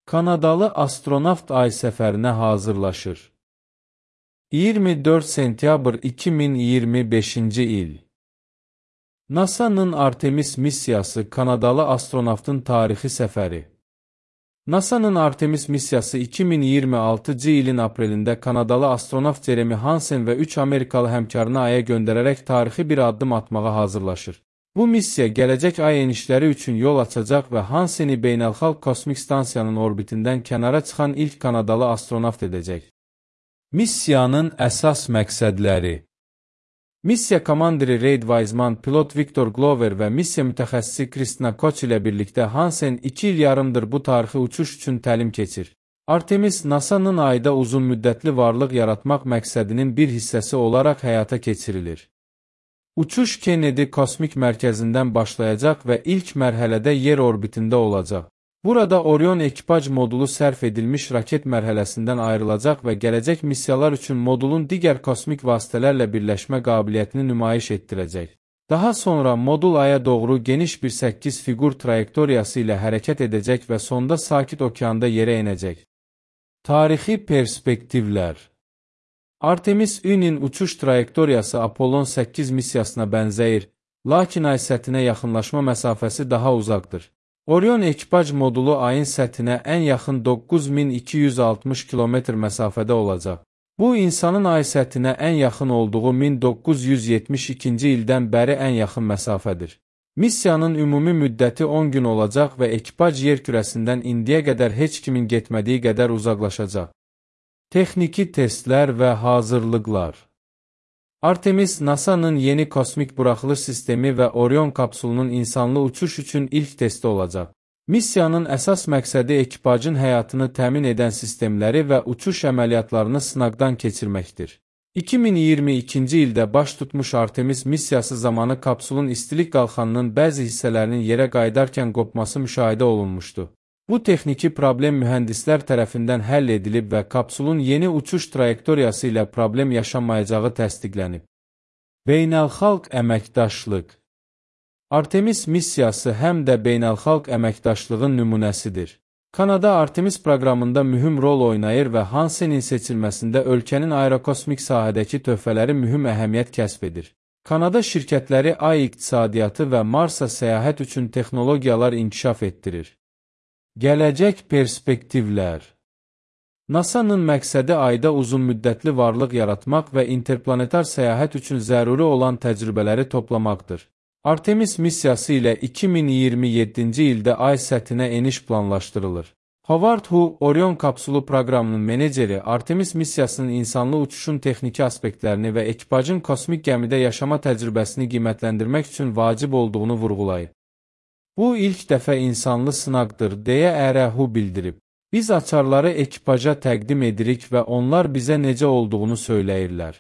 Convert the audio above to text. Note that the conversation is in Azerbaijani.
Kanadalı astronavt ay səfərinə hazırlaşır. 24 sentyabr 2025-ci il. NASA-nın Artemis missiyası Kanadalı astronavtın tarixi səfəri. NASA-nın Artemis missiyası 2026-cı ilin aprelində Kanadalı astronavt Jeremy Hansen və 3 Amerikalı həmkarını Aya göndərərək tarixi bir addım atmağa hazırlaşır. Bu missiya gələcək ay enişləri üçün yol açacaq və Hanseni Beynəlxalq Kosmik Stansiyanın orbitindən kənara çıxan ilk Kanadalı astronavt edəcək. Missiyanın əsas məqsədləri. Missiya komandiri Reid Wiseman, pilot Victor Glover və missiya mütəxəssisi Kristina Koch ilə birlikdə Hansen 2 il yarımdır bu tarixi uçuş üçün təlim keçir. Artemis, NASA-nın ayda uzun müddətli varlıq yaratmaq məqsədinin bir hissəsi olaraq həyata keçirilir. Uçuş Kennedy Kosmik Mərkəzindən başlayacaq və ilk mərhələdə yer orbitində olacaq. Burada Orion ekipaj modulu sərf edilmiş raket mərhələsindən ayrılacaq və gələcək missiyalar üçün modulun digər kosmik vasitələrlə birləşmə qabiliyyətini nümayiş etdirəcək. Daha sonra modul Aya doğru geniş bir 8 fiqur trayektoriyası ilə hərəkət edəcək və sonda Sakit Okeanda yerə enəcək. Tarixi perspektivlər. Artemis-Ü'nin uçuş trayektoriyası Apollon 8 missiyasına bənzəyir, lakin ay səthinə yaxınlaşma məsafəsi daha uzaqdır. Orion ekipaj modulu ayın səthinə ən yaxın 9260 km məsafədə olacaq. Bu, insanın ay səthinə ən yaxın olduğu 1972-ci ildən bəri ən yaxın məsafədir. Missiyanın ümumi müddəti 10 gün olacaq və ekipaj yer kürəsindən indiyə qədər heç kimin getmədiyi qədər uzaqlaşacaq. Texniki testlər və hazırlıqlar. Artemis, NASA-nın yeni kosmik buraxılış sistemi və Orion kapsulunun insanlı uçuş üçün ilk testi olacaq. Missiyanın əsas məqsədi ekipajın həyatını təmin edən sistemləri və uçuş əməliyyatlarını sınaqdan keçirməkdir. 2022-ci ildə baş tutmuş Artemis missiyası zamanı kapsulun istilik qalxanının bəzi hissələrinin yerə qayıdarkən qopması müşahidə olunmuşdu. Bu texniki problem mühəndislər tərəfindən həll edilib və kapsulun yeni uçuş trayektoriyası ilə problem yaşanmayacağı təsdiqlənib. Beynəlxalq əməkdaşlıq. Artemis missiyası həm də beynəlxalq əməkdaşlığın nümunəsidir. Kanada Artemis proqramında mühüm rol oynayır və Hansenin seçilməsində ölkənin aerokosmik sahədəki töhfələri mühüm əhəmiyyət kəsb edir. Kanada şirkətləri ay iqtisadiyyatı və Marsa səyahət üçün texnologiyalar inkişaf etdirir. Gələcək perspektivlər. NASA-nın məqsədi ayda uzun müddətli varlıq yaratmaq və interplanetar səyahət üçün zəruri olan təcrübələri toplamaqdır. Artemis missiyası ilə 2027-ci ildə ay səthinə eniş planlaşdırılır. Howard Hu, Orion kapsulu proqramının meneceri, Artemis missiyasının insanlı uçuşun texniki aspektlərini və ekipajın kosmik gəmidə yaşama təcrübəsini qiymətləndirmək üçün vacib olduğunu vurğulayıb. Bu ilk dəfə insanlı sınaqdır, deyə Hu bildirib. Biz açarları ekipaja təqdim edirik və onlar bizə necə olduğunu söyləyirlər.